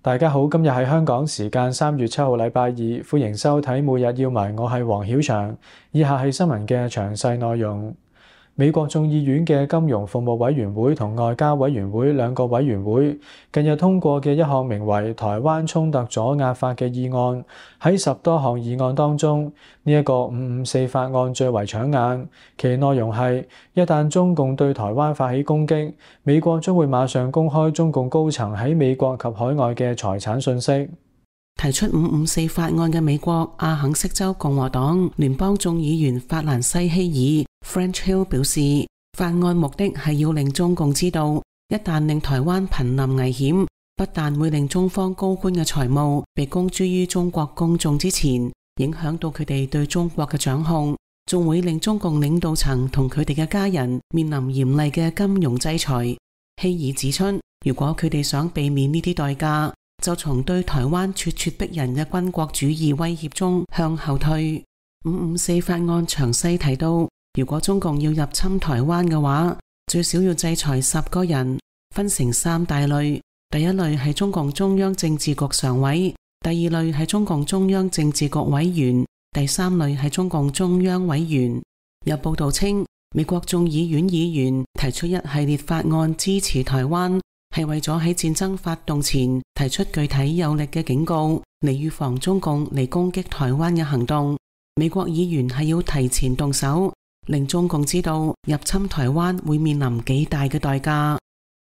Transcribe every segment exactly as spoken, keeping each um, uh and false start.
大家好，今日係香港時間三月七號禮拜二，歡迎收睇每日要聞，我係黃曉翔。以下係新聞嘅詳細內容。美國眾議院嘅金融服務委員會同外交委員會兩個委員會近日通過嘅一項名為《台灣衝突阻壓法》嘅議案，喺十多項議案當中，呢、這、一個五五四法案最為搶眼。其內容係一旦中共對台灣發起攻擊，美國將會馬上公開中共高層喺美國及海外嘅財產信息。提出五五四法案嘅美國阿肯色州共和黨聯邦眾議員法蘭西希爾 French Hill 表示，法案目的係要令中共知道，一旦令台灣瀕臨危險，不但會令中方高官嘅財務被公諸於中國公眾之前，影響到佢哋對中國嘅掌控，仲會令中共領導層同佢哋嘅家人面臨嚴厲嘅金融制裁。希爾指出，如果佢哋想避免呢啲代價，就從對台灣咄咄逼人嘅軍國主義威脅中向後退。五五四法案詳細提到，如果中共要入侵台灣嘅話，最少要制裁十個人，分成三大類。第一類係中共中央政治局常委，第二類係中共中央政治局委員，第三類係中共中央委員。有報道稱，美國眾議院議員提出一系列法案支持台灣，係為咗喺戰爭發動前提出具體有力嘅警告，嚟預防中共嚟攻擊台灣嘅行動。美國議員係要提前動手，令中共知道入侵台灣會面臨幾大嘅代價。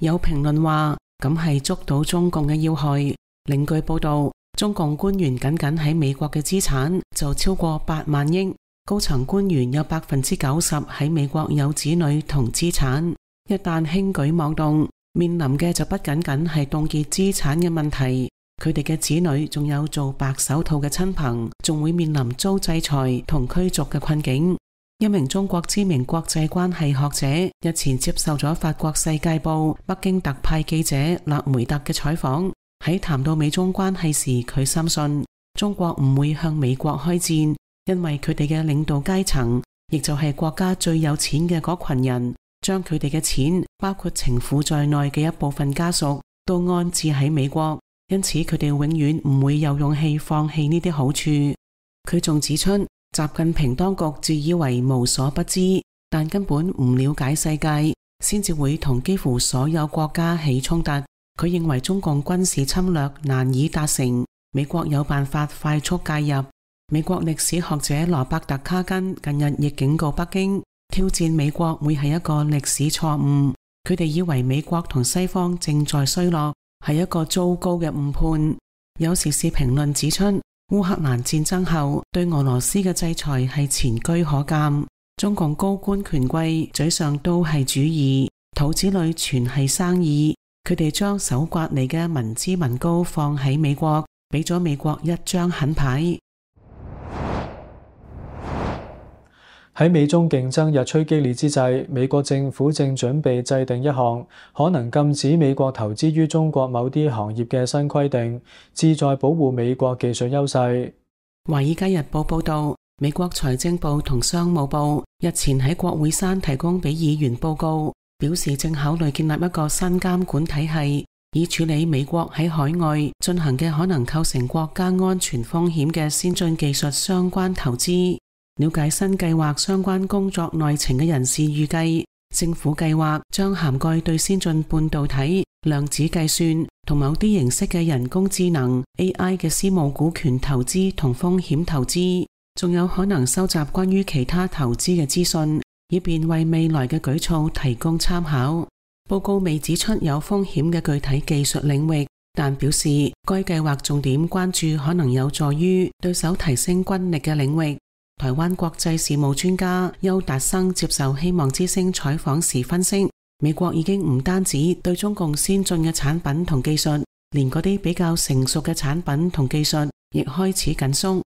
有評論話，咁係捉到中共嘅要害。另據報道，中共官員僅僅喺美國嘅資產就超過八萬億，高層官員有百分之九十喺美國有子女同資產。一旦輕舉妄動，面臨嘅就不僅僅係凍結資產嘅問題，佢哋嘅子女仲有做白手套嘅親朋，仲會面臨遭制裁同驅逐嘅困境。一名中國知名國際關係學者日前接受咗法國世界報北京特派記者勒梅特嘅採訪，喺談到美中關係時，佢深信中國唔會向美國開戰，因為佢哋嘅領導階層，亦就係國家最有錢嘅嗰群人，將佢哋嘅錢，包括情婦在內嘅一部分家屬，都安置喺美國，因此佢哋永遠唔會有勇氣放棄呢啲好處。佢仲指出，習近平當局自以為無所不知，但根本唔了解世界，先至會同幾乎所有國家起衝突。佢認為中共軍事侵略難以達成，美國有辦法快速介入。美國歷史學者羅伯特卡根近日亦警告北京，挑戰美國會係一個歷史錯誤。佢哋以為美國同西方正在衰落，係一個糟糕嘅誤判。有時事評論指出，烏克蘭戰爭後對俄羅斯嘅制裁係前車可鑑。中共高官權貴嘴上都係主義，肚子裏全係生意。佢哋將手刮嚟嘅民脂民膏放喺美國，俾咗美國一張狠牌。喺美中競爭日趨激烈之際，美國政府正準備制定一項可能禁止美國投資於中國某啲行業嘅新規定，旨在保護美國技術優勢。華爾街日報報道，美國財政部同商務部日前喺國會山提供俾議員報告，表示正考慮建立一個新監管體系，以處理美國喺海外進行嘅可能構成國家安全風險嘅先進技術相關投資。了解新計劃相關工作內情嘅人士預計，政府計劃將涵蓋對先進半導體、量子計算同某啲形式嘅人工智能 A I 嘅私募股權投資同風險投資，仲有可能收集關於其他投資嘅資訊，以便為未來嘅舉措提供參考。報告未指出有風險嘅具體技術領域，但表示該計劃重點關注可能有助於對手提升軍力嘅領域。台灣國際事務專家邱達生接受希望之聲採訪時分析，美國已經唔單止對中共先進嘅產品同技術，連嗰啲比較成熟嘅產品同技術亦開始緊縮。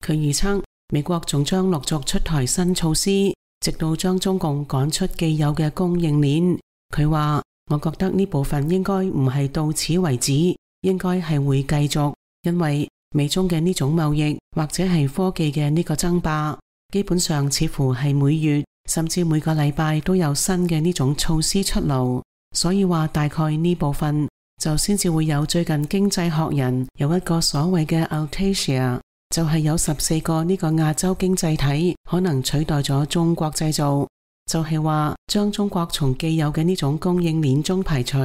佢預測美國仲將陸續出台新措施，直到將中共趕出既有嘅供應鏈。佢話，我覺得呢部分應該唔係到此為止，應該係會繼續，因為美中嘅呢種貿易或者係科技嘅呢個爭霸，基本上似乎係每月甚至每個禮拜都有新嘅呢種措施出爐，所以話大概呢部分就先至會有最近經濟學人有一個所謂嘅 Altasia， 就係有十四個呢個亞洲經濟體可能取代咗中國製造，就係話將中國從既有嘅呢種供應鏈中排除。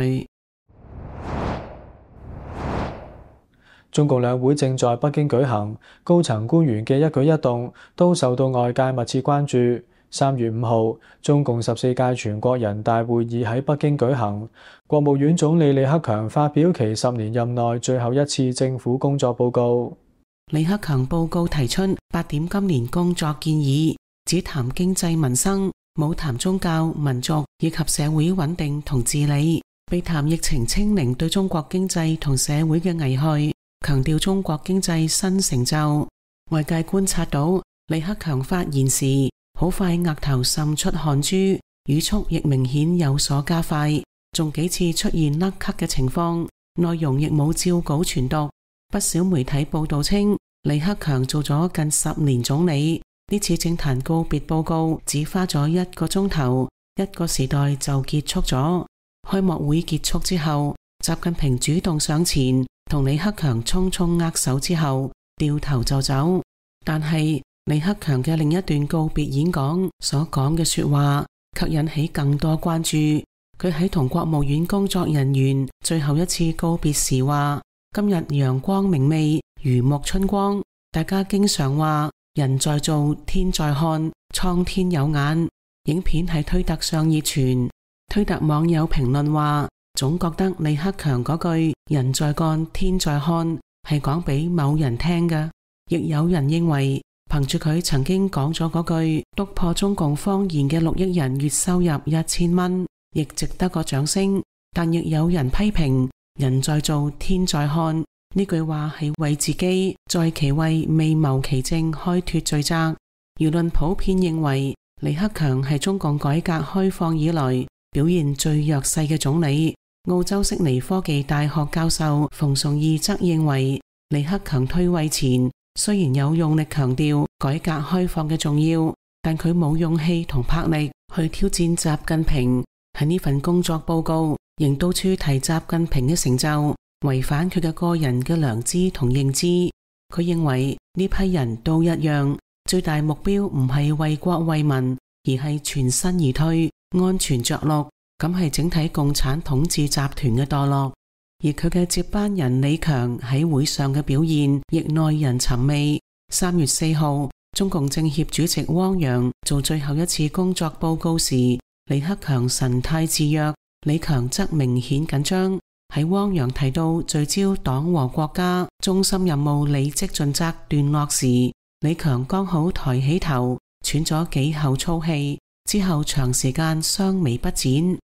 中共兩會正在北京舉行，高層官員嘅一舉一動都受到外界密切關注。三月五號，中共十四屆全國人大會議喺北京舉行，國務院總理李克強發表其十年任內最後一次政府工作報告。李克強報告提出八點今年工作建議，只談經濟民生，冇談宗教、民族以及社會穩定同治理，避談疫情清零對中國經濟同社會嘅危害，強調中國經濟新成就。外界觀察到李克強發言時，好快額頭滲出汗珠，語速亦明顯有所加快，仲幾次出現甩咳嘅情況，內容亦冇照稿傳讀。不少媒體報道稱，李克強做咗近十年總理，呢次政壇告別報告只花咗一個鐘頭，一個時代就結束咗。開幕會結束之後，習近平主動上前同李克強匆匆握手之後，掉頭就走。但係李克強嘅另一段告別演講所講嘅說話，卻引起更多關注。佢喺同國務院工作人員最後一次告別時話：今日陽光明媚，如沐春光。大家經常話人在做，天在看，蒼天有眼。影片喺推特上熱傳，推特網友評論話，總覺得李克強嗰句人在幹，天在看係講俾某人聽嘅。亦有人認為，憑住佢曾經講咗嗰句篤破中共謊言嘅六億人月收入一千蚊，亦值得個掌聲。但亦有人批評人在做，天在看呢句話係為自己在其位未謀其政開脫罪責。輿論普遍認為李克強係中共改革開放以來表現最弱勢嘅總理。澳洲悉尼科技大學教授馮崇義則認為，李克強退位前雖然有用力強調改革開放嘅重要，但佢冇勇氣同魄力去挑戰習近平。喺呢份工作報告仍到處提習近平嘅成就，違反佢嘅個人嘅良知同認知。佢認為呢批人都一樣，最大目標唔係為國為民，而係全身而退，安全着陸，咁係整體共產統治集團嘅墮落。而佢嘅接班人李強喺會上嘅表現亦耐人尋味。三月四號，中共政協主席汪洋做最後一次工作報告時，李克強神態自若，李強則明顯緊張。喺汪洋提到聚焦黨和國家中心任務履職盡責段落時，李強剛好抬起頭，喘咗幾口粗氣，之後長時間雙眉不展。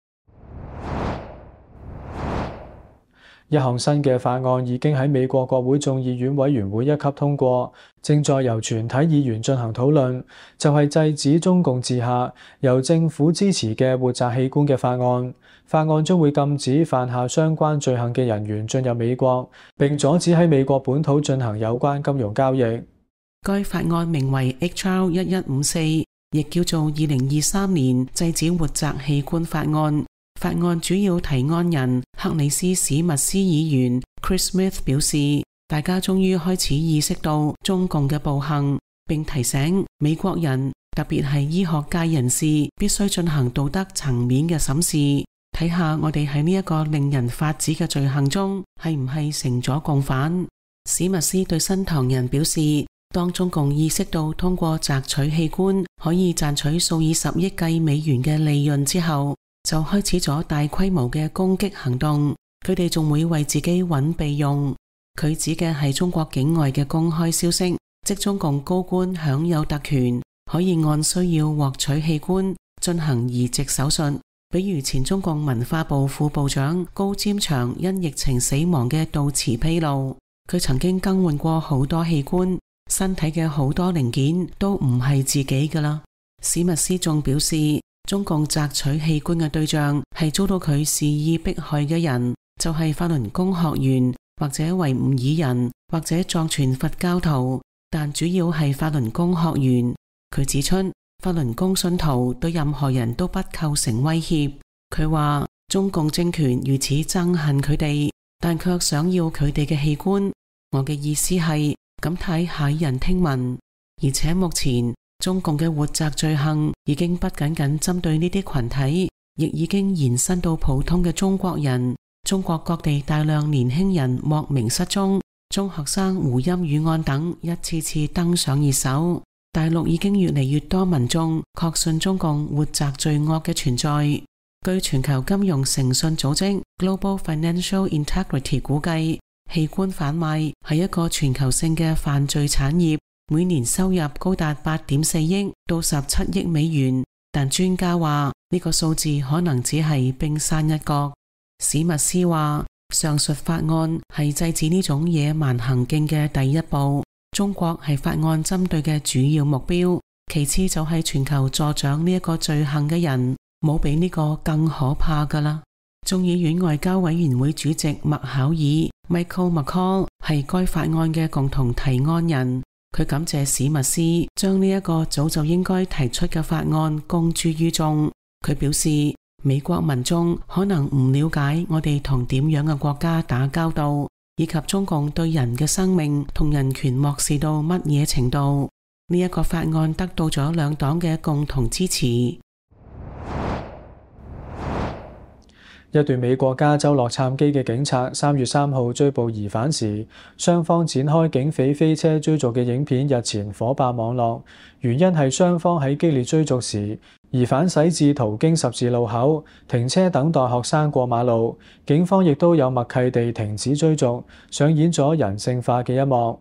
一項新嘅法案已經喺美國國會眾議院委員會一級通過，正在由全體議員進行討論，就係制止中共治下由政府支持嘅活摘器官嘅法案。法案將會禁止犯下相關罪行嘅人員進入美國，並阻止喺美國本土進行有關金融交易。該法案名為 H R 一一五四，亦叫做二零二三年制止活摘器官法案。法案主要提案人克里斯史密斯議員 Chris Smith 表示，大家終於開始意識到中共嘅暴行，並提醒美國人，特別係醫學界人士，必須進行道德層面嘅審視，睇下我哋喺呢一個令人髮指嘅罪行中係唔係成咗共犯。史密斯對新唐人表示，當中共意識到通過摘取器官可以賺取數以十億計美元嘅利潤之後，就開始咗大規模嘅攻擊行動，佢哋仲會為自己揾備用。佢指嘅係中國境外嘅公開消息，即中共高官享有特權，可以按需要獲取器官進行移植手術。比如前中共文化部副部長高占祥因疫情死亡嘅悼詞披露，佢曾經更換過好多器官，身體嘅好多零件都唔係自己㗎啦。史密斯仲表示，中共摘取器官嘅對象係遭到佢肆意迫害嘅人，就係法輪功學員或者維吾爾人或者藏傳佛教徒，但主要係法輪功學員。佢指出，法輪功信徒對任何人都不構成威脅。佢話中共政權如此憎恨佢哋，但卻想要佢哋嘅器官。我嘅意思係咁睇駭人聽聞，而且目前中共嘅活摘罪行已經不僅僅針對呢啲群體，亦已經延伸到普通嘅中國人。中國各地大量年輕人莫名失蹤，中學生胡鑫宇案等一次次登上熱搜。大陸已經越嚟越多民眾確信中共活摘罪惡嘅存在。據全球金融誠信組織 Global Financial Integrity 估計，器官販賣係一個全球性嘅犯罪產業，每年收入高達八點四億到十七億美元。但專家話呢個數字可能只係冰山一角。史密斯話，上述法案係制止呢種野蠻行徑嘅第一步，中國係法案針對嘅主要目標，其次就係全球助長呢一個罪行嘅人，冇比呢個更可怕噶啦。眾議院外交委員會主席麥考爾 Michael McCaul 係該法案嘅共同提案人，佢感謝史密斯將呢一個早就應該提出嘅法案公諸於眾。佢表示，美國民眾可能唔了解我哋同點樣嘅國家打交道，以及中共對人嘅生命同人權漠視到乜嘢程度。呢一個法案得到咗兩黨嘅共同支持。一段美國加州洛杉磯嘅警察三月三號追捕疑犯時，雙方展開警匪飛車追逐嘅影片日前火爆網絡，原因係雙方喺激烈追逐時，疑犯駛至途經十字路口停車等待學生過馬路，警方亦都有默契地停止追逐，上演咗人性化嘅一幕。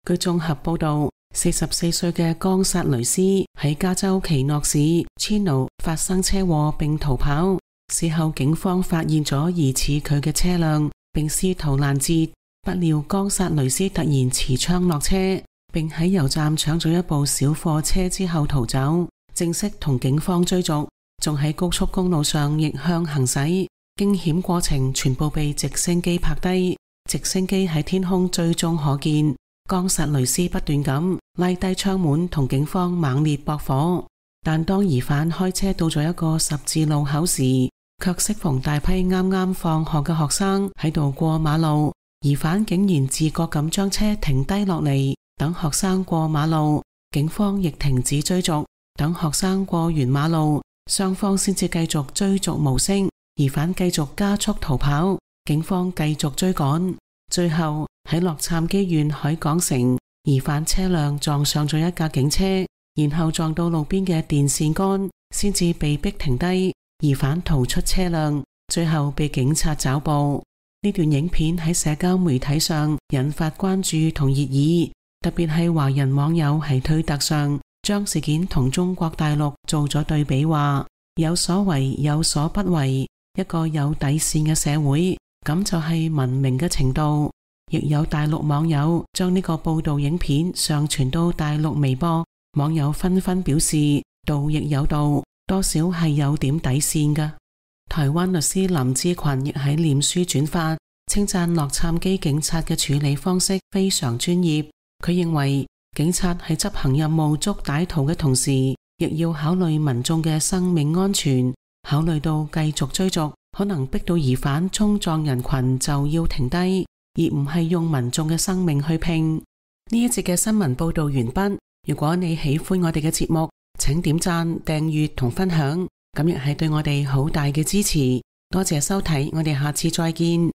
據綜合報道，四十四歲嘅岡薩雷斯喺加州奇諾市 Chino 發生車禍並逃跑，事後警方發現咗疑似佢嘅車輛，並試圖攔截，不料岡薩雷斯突然持槍落車，並喺油站搶咗一部小貨車之後逃走，正式同警方追逐，仲喺高速公路上逆向行駛，驚險過程全部被直升機拍低，直升機喺天空最終可見。岡薩雷斯不斷咁拉低窗門同警方猛烈駁火，但當疑犯開車到咗一個十字路口時，卻適逢大批啱啱放學嘅學生喺度過馬路，疑犯竟然自覺咁將車停低落嚟，等學生過馬路，警方亦停止追逐，等學生過完馬路，雙方先至繼續追逐無聲，疑犯繼續加速逃跑，警方繼續追趕，最後喺洛杉磯縣海港城，疑犯車輛撞上咗一架警車，然後撞到路邊嘅電線桿，先至被逼停低，疑犯逃出車輛，最後被警察抓捕。呢段影片喺社交媒體上引發關注同熱議，特別係華人網友喺推特上將事件同中國大陸做咗對比，話有所為有所不為，一個有底線嘅社會，咁就係文明嘅程度。亦有大陸網友將呢個報道影片上傳到大陸微博，網友紛紛表示道亦有道，多少係有點底線㗎。台灣律師林志群亦喺臉書轉發，稱讚洛杉磯警察嘅處理方式非常專業。佢認為警察喺執行任務捉歹徒嘅同時，亦要考慮民眾嘅生命安全，考慮到繼續追逐可能逼到疑犯衝撞人群就要停低，而唔係用民眾嘅生命去拼。呢一節嘅新聞報道完畢。如果你喜歡我哋嘅節目，請點讚、訂閱同分享，咁亦係對我哋好大嘅支持。多謝收睇，我哋下次再見。